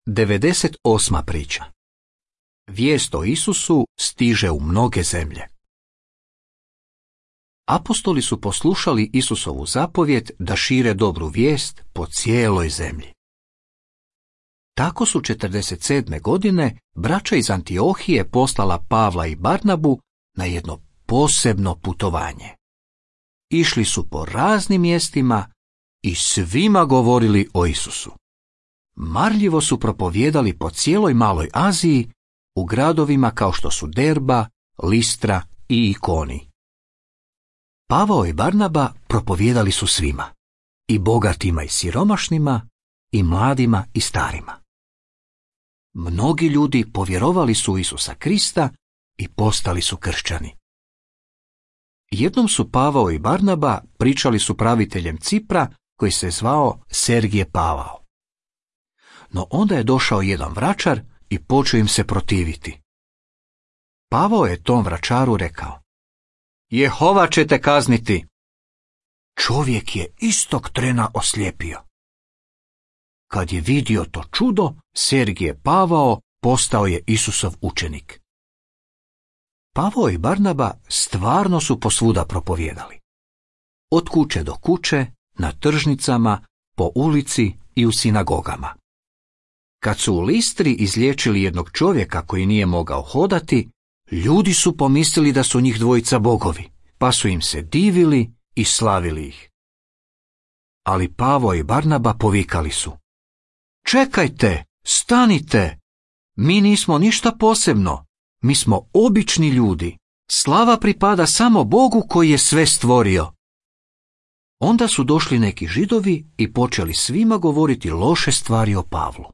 98. priča. Vijest o Isusu stiže u mnoge zemlje. Apostoli su poslušali Isusovu zapovjed da šire dobru vijest po cijeloj zemlji. Tako su 47. godine braća iz Antiohije poslala Pavla i Barnabu na jedno posebno putovanje. Išli su po raznim mjestima i svima govorili o Isusu. Marljivo su propovijedali po cijeloj Maloj Aziji, u gradovima kao što su Derba, Listra i Ikoni. Pavao i Barnaba propovijedali su svima, i bogatima i siromašnima, i mladima i starima. Mnogi ljudi povjerovali su u Isusa Krista i postali su kršćani. Jednom su Pavao i Barnaba pričali s upraviteljem Cipra koji se zvao Sergije Pavao. No onda je došao jedan vračar i počeo im se protiviti. Pavao je tom vračaru rekao: Jehova će te kazniti. Čovjek je istog trena oslijepio. Kad je vidio to čudo, Sergije Pavao postao je Isusov učenik. Pavao i Barnaba stvarno su posvuda propovijedali. Od kuće do kuće, na tržnicama, po ulici i u sinagogama. Kad su u Listri izliječili jednog čovjeka koji nije mogao hodati, ljudi su pomislili da su njih dvojica bogovi, pa su im se divili i slavili ih. Ali Pavao i Barnaba povikali su: Čekajte, stanite, mi nismo ništa posebno, mi smo obični ljudi, slava pripada samo Bogu koji je sve stvorio. Onda su došli neki Židovi i počeli svima govoriti loše stvari o Pavlu.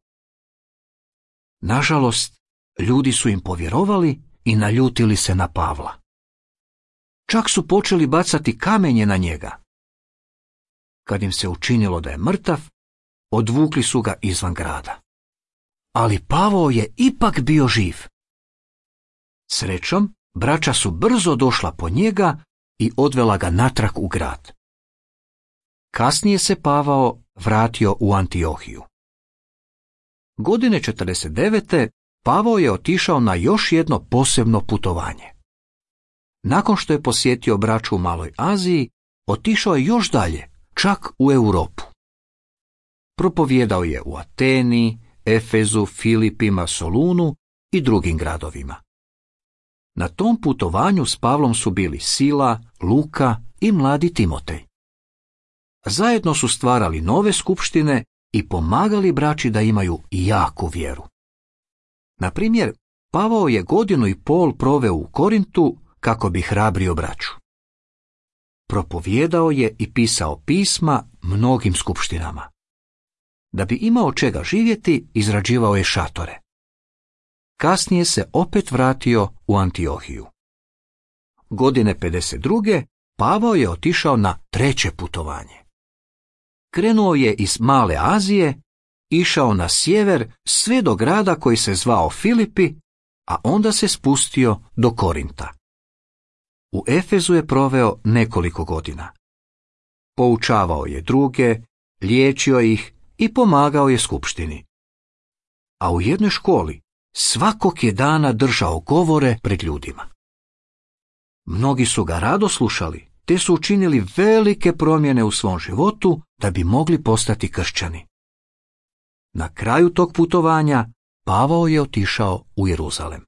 Nažalost, ljudi su im povjerovali i naljutili se na Pavla. Čak su počeli bacati kamenje na njega. Kad im se učinilo da je mrtav, odvukli su ga izvan grada. Ali Pavao je ipak bio živ. Srećom, braća su brzo došla po njega i odvela ga natrag u grad. Kasnije se Pavao vratio u Antiohiju. Godine 49. Pavao je otišao na još jedno posebno putovanje. Nakon što je posjetio braću u Maloj Aziji, otišao je još dalje, čak u Europu. Propovijedao je u Ateni, Efezu, Filipima, Solunu i drugim gradovima. Na tom putovanju s Pavlom su bili Sila, Luka i mladi Timotej. Zajedno su stvarali nove skupštine i pomagali braći da imaju jaku vjeru. Na primjer, Pavao je 1,5 godine proveo u Korintu kako bi hrabrio braću. Propovijedao je i pisao pisma mnogim skupštinama. Da bi imao čega živjeti, izrađivao je šatore. Kasnije se opet vratio u Antiohiju. Godine 52. Pavao je otišao na 3. putovanje. Krenuo je iz Male Azije, išao na sjever sve do grada koji se zvao Filipi, a onda se spustio do Korinta. U Efezu je proveo nekoliko godina. Poučavao je druge, liječio ih i pomagao je skupštini. A u jednoj školi svakog je dana držao govore pred ljudima. Mnogi su ga rado slušali, te su učinili velike promjene u svom životu da bi mogli postati kršćani. Na kraju tog putovanja Pavao je otišao u Jeruzalem.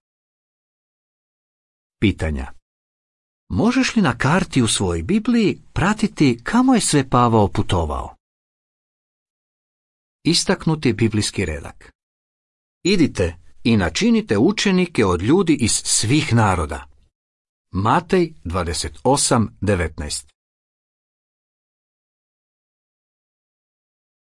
Pitanja. Možeš li na karti u svojoj Bibliji pratiti kamo je sve Pavao putovao? Istaknuti biblijski redak. Idite i načinite učenike od ljudi iz svih naroda. Matej 28:19.